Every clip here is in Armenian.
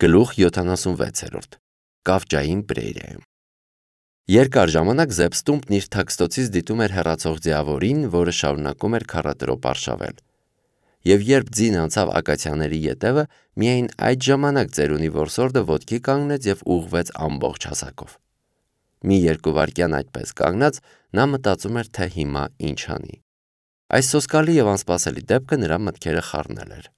Գլուխ 76 Կավճային պրերիայում Երկար ժամանակ Զեբստումպն իր թաքստոցից դիտում էր հեռացող ձիավորին, որը շարունակում էր քառատրոպ արշավել։ Եվ երբ ձին անցավ ակացիաների ետևը, միայն այդ ժամանակ ծերունի որսորդը ոտքի կանգնեց և ուղղվեց ամբողջ հասակով։ Մի երկու վայրկյան այդպես կանգնած, նա մտածում էր, թե հիմա ինչ անի։ Այս սոսկալի և անսպասելի դեպքը նրա մտքերը խառնել էր։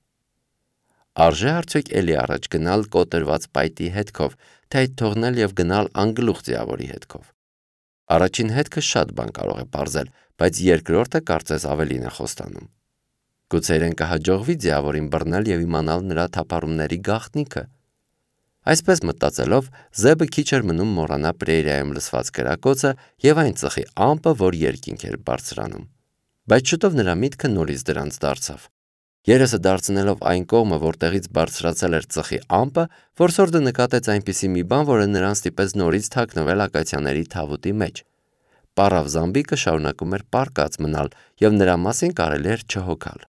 Արժե արդյոք էլի առաջ գնալ կոտրված պայտի հետքով, թե այդ թողնել և գնալ անգլուխ ձիավորի հետքով։ Առաջին հետքը շատ բան կարող է պարզել, բայց երկրորդը կարծես ավելին է խոստանում։ Գուցե իրեն կհաջողվի ձիավորին բռնել և իմանալ նրա թափառումների գաղտնիքը։ Այսպես մտածելով, Զեբը քիչ էր մնում մոռանա պրերիայում լսված կրակոցը և այն ծխի ամպը, որ երկինք էր բարձրանում։ Բայց շուտով նրա միտքը նորից դրանց դարձավ։ Երեսը դարձնելով այն կողմը, որտեղից բարձրացել էր ծխի ամպը, որսորդը նկատեց այնպիսի մի բան, որը նրան ստիպեց նորից թաքնվել ակացիաների թավուտի մեջ։ Պառավ զամբիկը շարունակում էր պառկած մնալ, և նրա մասին կարելի էր չհոգալ։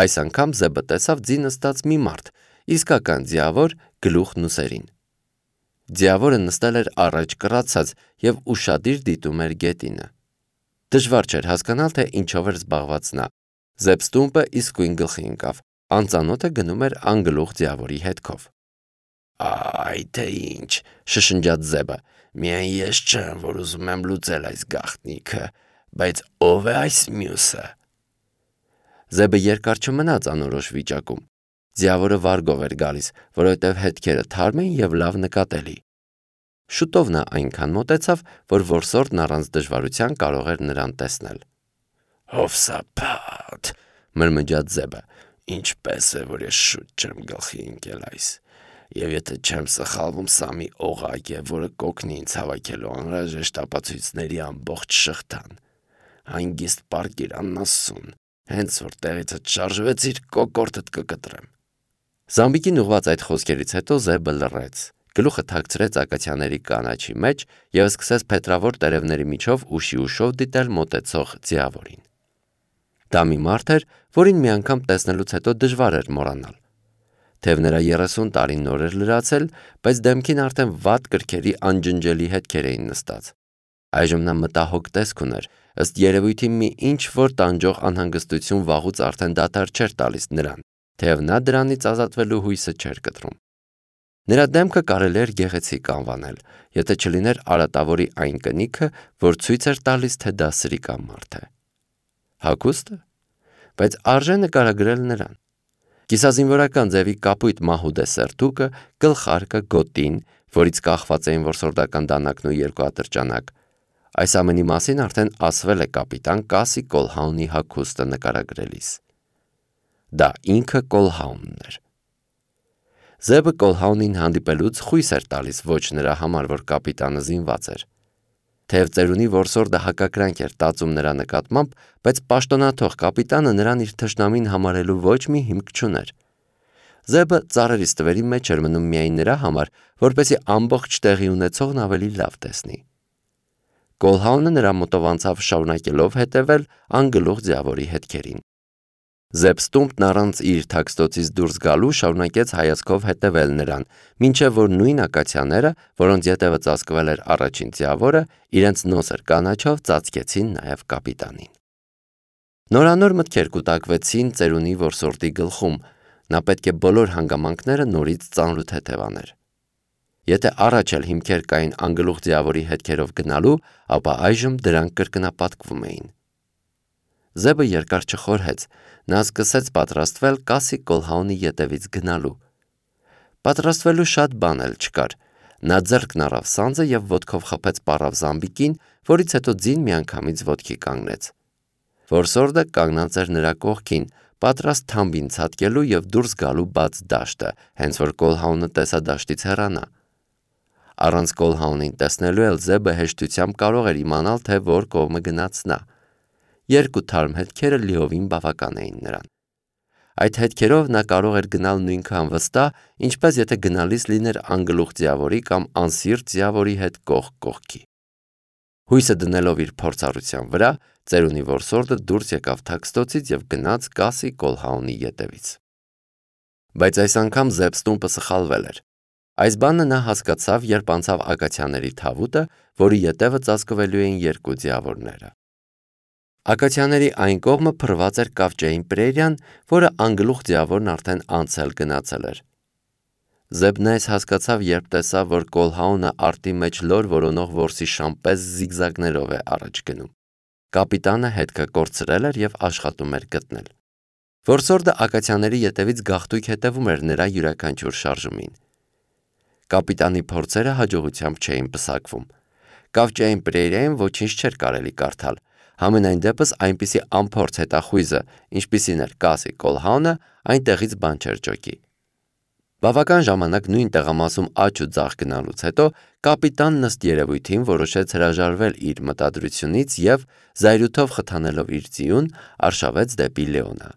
Այս անգամ Զեբը տեսավ ձի նստած մի մարդ, իսկական ձիավոր, գլուխն ուսերին։ Ձիավորը նստել էր առաջ կռացած և ուշադիր դիտում էր գետինը։ Դժվար չէր հասկանալ, թե ինչով էր զբաղված նա։ Զեբստումպը իսկույն գլխի ընկավ։ Անծանոթը գնում էր անգլուխ ձիավորի հետքով։ «Այ թե ինչ», շշնջաց Զեբը, «միայն ես չեմ, որ ուզում եմ լուծել այս գաղտնիքը, բայց ո՞վ է այս մյուսը»։ Զեբը երկար չմնաց անորոշ վիճակում։ Ձիավորը վարգով էր գալիս, որովհետև հետքերը թարմ էին և լավ նկատելի։ Շուտով նա այնքան մոտեցավ, որ որսորդն առանց դժվարության կարող էր նրան տեսնել։ «Հովսափատ», մրմնջաց Զեբը, «ինչպես է, որ ես շուտ չեմ գլխի ընկել այս։ Եվ եթե չեմ սխալվում, սա մի օղակ է, որը կօգնի ինձ հավաքելու անհրաժեշտ ապացույցների ամբողջ շղթան։ Հանգիստ պառկիր անասուն, հենց որ տեղիցդ շարժվեցիր, կոկորդդ կկտրեմ»։ Զամբիկին ուղղված այդ խոսքերից հետո Զեբը լռեց, գլուխը թաքցրեց ակացիաների կանաչի մեջ և սկսեց փետրավոր տերևների միջով ուշի-ուշով դիտել մոտեցող ձիավորին։ Դա մի մարդ էր, որին մի անգամ տեսնելուց հետո դժվար էր մոռանալ։ Թեև նրա 30 տարին նոր էր լրացել, բայց դեմքին արդեն վատ կրքերի անջնջելի հետքեր էին նստած։ Այժմ նա մտահոգ տեսք ուներ, ըստ երևույթի մի ինչ-որ տանջող անհանգստություն վաղուց արդեն դադար չէր տալիս նրան, թեև նա դրանից ազատվելու հույսը չէր կտրում։ Նրա դեմքը կարելի էր գեղեցիկ անվանել, եթե չլիներ արատավորի այն կնիքը, որ ցույց էր տալիս, թե դա սրիկա մարդ է։ Հագուստը։ Բայց արժե նկարագրել նրան։ Կիսազինվորական ձևի կապույտ մահուդե սերտուկը, գլխարկը, գոտին, որից կախված էին որսորդական դանակն ու երկու ատրճանակ։ Այս ամենի մասին արդեն ասվել է կապիտան Կասի Կոլհաունի հագուստը նկարագրելիս։ Դա ինքը Կոլհաունն էր։ Զեբը Կոլհաունին հանդիպելուց խույս էր տալիս ոչ նրա համար, որ կապիտանը զինված էր։ Թեև ծերունի որսորդը հակակրանք էր տածում նրա նկատմամբ, բայց պաշտոնաթող կապիտանը նրան իր թշնամին համարելու ոչ մի հիմք չուներ։ Զեբը ծառերի ստվերի մեջ էր մնում միայն նրա համար, որպեսզի ամբողջ տեղի ունեցողն ավելի լավ տեսնի։ Կոլհաունը նրա մոտով անցավ շարունակելով հետևել անգլուխ ձիավորի հետքերին։ Զեբստումպն առանց իր թաքստոցից դուրս գալու շարունակեց հայացքով հետևել նրան, մինչև որ նույն ակացիաները, որոնց ետևը ծածկվել էր առաջին ձիավորը, իրենց նոսր կանաչով ծածկեցին նաև կապիտանին։ Նորանոր մտքեր կուտակվեցին ծերունի որսորդի գլխում, նա պետք է բոլոր հանգամանքները նորից ծանրութեթև աներ։ Եթե առաջ էլ հիմքեր կային անգլուխ ձիավորի հետքերով գնալու, ապա այժմ դրանք կրկնապատկվում էին։ Զեբը երկար չխորհեց, նա սկսեց պատրաստվել Կասի Կոլհաունի ետևից գնալու։ Պատրաստվելու շատ բան էլ չկար։ Նա ձեռքն առավ սանձը և ոտքով խփեց պառավ զամբիկին, որից հետո ձին միանգամից ոտքի կանգնեց։ Որսորդը կանգնած էր նրա կողքին, պատրաստ թամբին ցատկելու և դուրս գալու բաց դաշտը, հենց որ Կոլհաունը տեսա դաշտից հեռանա։ Առանց Կոլհաունին տեսնելու էլ Զեբը հեշտությամբ կարող էր իմանալ, թե որ կողմը գնաց նա։ Երկու թարմ հետքերը լիովին բավական էին նրան։ Այդ հետքերով նա կարող էր գնալ նույնքան վստահ, ինչպես եթե գնալիս լիներ անգլուխ ձիավորի կամ անսիրտ ձիավորի հետ կողք կողքի։ Հույսը դնելով իր փորձառության վրա, ծերունի որսորդը դուրս եկավ թաքստոցից և գնաց Կասի Կոլհաունի ետևից։ Բայց այս անգամ Զեբստումպը սխալվել էր։ Այս բանը նա հասկացավ, երբ անցավ ակացիաների թավուտը, որի ետևը ծածկվելու էին երկու ձիավորները։ Ակացիաների այն կողմը փռված էր Կավճեին Պրերիան, որը անգլուխ ձիավորն արդեն անցել գնացել էր։ Զեբն այս հասկացավ, երբ տեսավ, որ Կոլհաունը արտի մեջ լոր որոնող որսի շամպես զիգզագներով է առաջ գնում։ Կապիտանը հետքը կորցրել էր և աշխատում էր գտնել։ Որսորդը ակացիաների ետևից գաղթույք հետևում էր նրա յուրաքանչյուր շարժումին։ Կապիտանի փորձերը հաջողությամբ չէին պսակվում։ Կավճեին Պրերիայում ոչինչ չէր կարելի կարդալ։ Համենայն դեպս այնպիսի անփորձ հետախույզը, ինչպիսին էր Կասի Կոլհաունը, այնտեղից բան չէր ջոկի։ Բավական ժամանակ նույն տեղամասում աջ ու ձախ գնալուց հետո կապիտանն ըստ երևույթին որոշեց հրաժարվել իր մտադրությունից և, զայրույթով խթանելով իր ձիուն, արշավեց դեպի Լեոնը։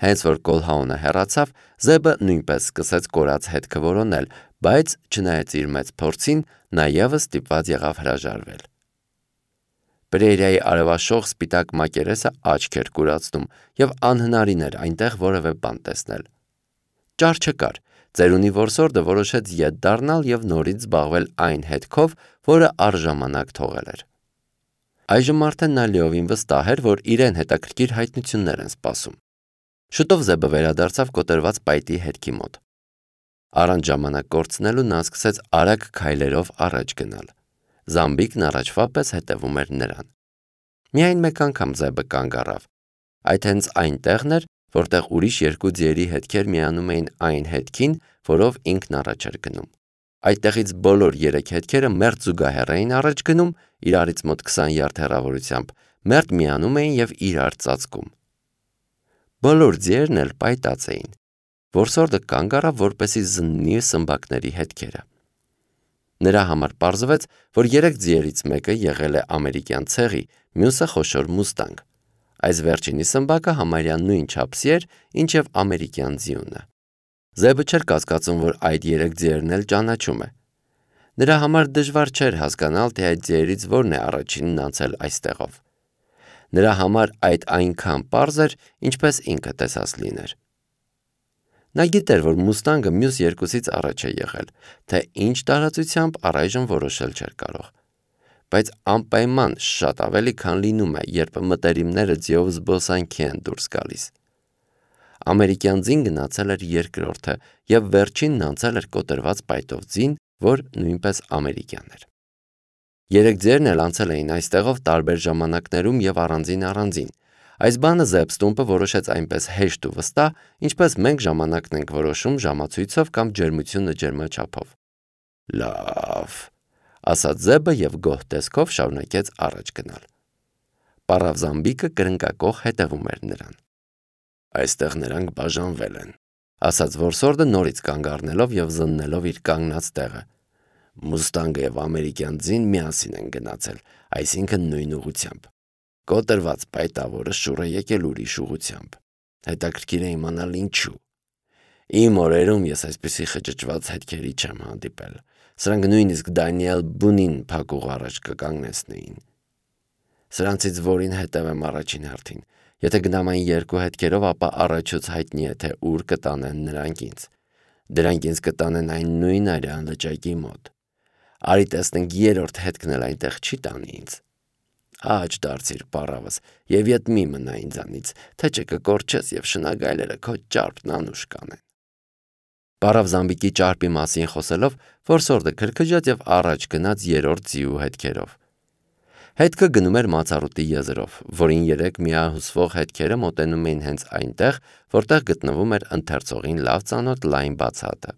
Հենց որ Կոլհաունը հեռացավ, Զեբը նույնպես սկսեց կորած հետքը որոնել, բայց, չնայած իր մեծ փորձին, նա ևս ստիպված եղավ հրաժարվել։ Պրերիայի արևաշող սպիտակ մակերեսը աչք էր կուրացնում, և անհնարին էր այնտեղ որևէ բան տեսնել։ Ճար չկար։ Ծերունի որսորդը որոշեց ետ դառնալ և նորից զբաղվել այն հետքով, որը առժամանակ թողել էր։ Այժմ արդեն նա լիովին վստահ էր, որ իրեն հետաքրքիր հայտնություններ են սպասում։ Շուտով Զեբը վերադարձավ կոտրված պայտի հետքի մոտ։ Առանց ժամանակ կորցնելու նա սկսեց արագ քայլերով առաջ գնալ։ Զամբիկն առաջվա պես հետևում էր նրան։ Միայն մեկ անգամ Զեբը կանգ առավ։ Այդ հենց այնտեղն էր, որտեղ ուրիշ երկու ձիերի հետքեր միանում էին այն հետքին, որով ինքն առաջ էր գնում։ Այդտեղից բոլոր երեք հետքերը մերթ զուգահեռ էին առաջ գնում, իրարից մոտ 20 յարդ հեռավորությամբ, մերթ միանում էին և իրար ծածկում։ Բոլոր ձիերն էլ պայտած էին։ Որսորդը կանգ առավ, որպեսզի զննի սմբակների հետքերը։ Նրա համար պարզվեց, որ երեք ձիերից մեկը եղել է ամերիկյան ցեղի, մյուսը խոշոր մուստանգ։ Այս վերջինի սմբակը համարյա նույն չափսի էր, ինչ և ամերիկյան ձիունը։ Զեբը չէր կասկածում, որ այդ երեք ձիերն էլ ճանաչում է։ Նրա համար դժվար չէր հասկանալ, թե այդ ձիերից որն է առաջինն անցել այստեղով։ Նրա համար այդ այնքան պարզ էր, ինչպես ինքը տեսած լիներ։ Նա գիտեր, որ մուստանգը մյուս երկուսից առաջ է եղել, թե ինչ տարածությամբ առայժմ որոշել չէր կարող։ Բայց անպայման շատ ավելի, քան լինում է, երբ մտերիմները ձիով զբոսանքի են դուրս գալիս։ Ամերիկյան ձին գնացել էր երկրորդը և վերջինն անցել էր կոտրված պայտով ձին, որ նույնպես ամերիկյան էր։ Երեք ձիերն էլ անցել էին այստեղով տարբեր ժամանակներում և առանձին։ Այս բանը Զեբստումպը որոշեց այնպես հեշտ ու վստահ, ինչպես մենք ժամանակն ենք որոշում ժամացույցով կամ ջերմությունը ջերմաչափով։ Լավ, ասաց Զեբը և գոհ տեսքով շարունակեց առաջ գնալ։ Պառավ Զամբիկը կրնկակոխ հետևում էր նրան։ Այստեղ նրանք բաժանվել են, ասաց որսորդը նորից կանգ առնելով և զննելով իր կանգնած տեղը։ Մուստանգը և ամերիկյան ձին միասին են գնացել, այսինքն նույն ուղղությամբ։ Կոտրված պայտավորը շուռ է եկել ուրիշ ուղղությամբ։ Հետաքրքիր է իմանալ ինչու։ Իմ օրերում ես այսպիսի խճճված հետքերի չեմ հանդիպել։ Սրանք նույնիսկ Դանիել Բունին փակուղ առաջ կկանգնեցնեին։ Սրանցից որին հետևեմ առաջին հերթին։ Եթե գնամ այն երկու հետքերով, ապա առաջուց հայտնի է, թե ուր կտանեն նրանք ինձ։ Դրանք ինձ կտանեն այն նույն արյան լճակի մոտ։ Արի տեսնենք երրորդ հետքն էլ այնտեղ չի տանի ինձ։ Աջ դարձիր պառավս և ետ մի մնա ինձանից, թե չէ կկորչես և շնագայլերը քո ճարպն անուշ կանեն։ Պառավ Զամբիկի ճարպի մասին խոսելով, որսորդը քրքջաց և առաջ գնաց երրորդ ձիու հետքերով։ Հետքը գնում էր Մացառուտի եզրով, որին երեք միահյուսվող հետքերը մոտենում էին հենց այնտեղ, որտեղ գտնվում էր ընթերցողին լավ ծանոթ լայն բացատը։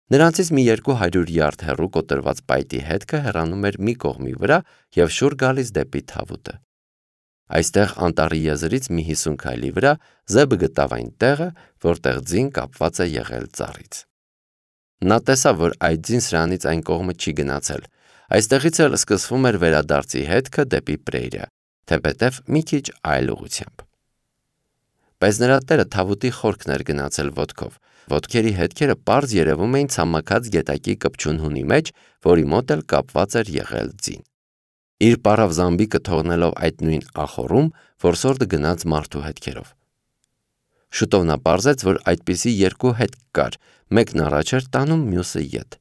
Նրանցից մի 200 յարդ հեռու կոտրված պայտի հետքը հեռանում էր մի կողմի վրա և շուռ գալիս դեպի թավուտը։ Այստեղ անտառի եզրից մի 50 քայլի վրա Զեբը գտավ այն տեղը, որտեղ ձին կապված է եղել ծառից։ Նա տեսավ, որ այդ ձին սրանից այն կողմը չի գնացել։ Այստեղից էլ սկսվում էր վերադարձի հետքը դեպի Պրերիա, թեպետև մի քիչ այլ ուղղությամբ։ Բայց նրա տերը թավուտի խորքն էր գնացել ոտքով։ Ոտքերի հետքերը պարզ երևում էին ցամաքած գետակի կպչուն հունի մեջ, որի մոտ էլ կապված էր եղել ձին։ Իր պառավ Զամբիկը թողնելով այդ նույն ախոռում, որսորդը գնաց մարդու հետքերով։ Շուտով նա պարզեց, որ այդպիսի երկու հետք կար, մեկն առաջ էր տանում, մյուսը ետ։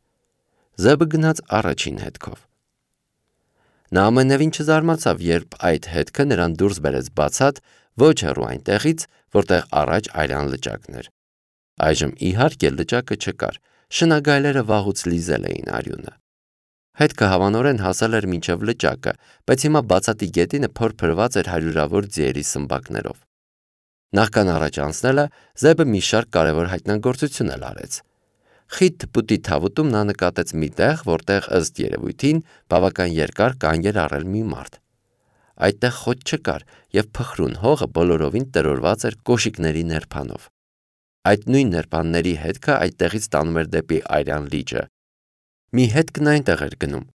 Զեբը գնաց առաջին հետքով։ Նա ամենևին չզարմացավ, երբ այդ հետքը նրան դուրս բերեց բացատ, ոչ հեռու այնտեղից, որտեղ առաջ այրան լճակն էր։ Այժմ իհարկե լճակը չկար, շնագայլերը վաղուց լիզել էին արյունը։ Հետքը հավանորեն հասել էր մինչև լճակը, բայց հիմա բացատի գետինը փորփրված էր հարյուրավոր ձիերի սմբակներով։ Նախքան առաջ անցնելը Զեբը մի շարք կարևոր հայտնագործություն էլ արեց։ Խիտ թփուտի թավուտում նա նկատեց մի տեղ, որտեղ ըստ երևույթին բավական երկար կանգ էր առել մի մարդ։ Այդտեղ խոտ չկար, եւ փխրուն հողը բոլորովին տրորված էր կոշիկների ներփանով։ Այդ նույն ներփանների հետքը այդտեղից տանում էր դեպի Այրան լիճը։ Մի հետքն այնտեղ էր գնում,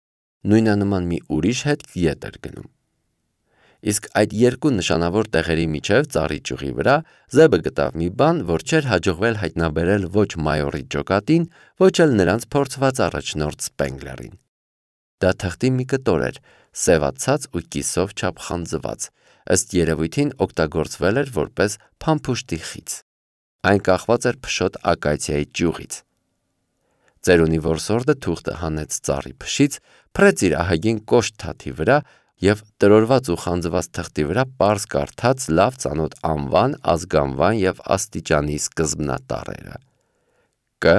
նույնանման մի ուրիշ հետք ետ էր գնում։ Իսկ այդ երկու նշանավոր տեղերի միջև ծառի ճյուղի վրա Զեբը գտավ մի բան, որ չէր հաջողվել հայտնաբերել ոչ մայորի ջոկատին, ոչ էլ նրանց փորձված առաջնորդ Սպենգլերին։ Դա թղթի մի կտոր էր, սևացած ու կիսով չափ խանձված, ըստ երևույթին օգտագործվել էր որպես փամփուշտի խիծ։ Այն կախված էր փշոտ ակացիայի ճյուղից։ Ծերունի որսորդը թուղթը հանեց ծառի փշից, փռեց իր ահագին կոշտ թաթի վրա եւ տրորված ու խանձված թղթի վրա պարզ կարդաց լավ ծանոթ անվան, ազգանվան եւ աստիճանի սկզբնատառերը Կ.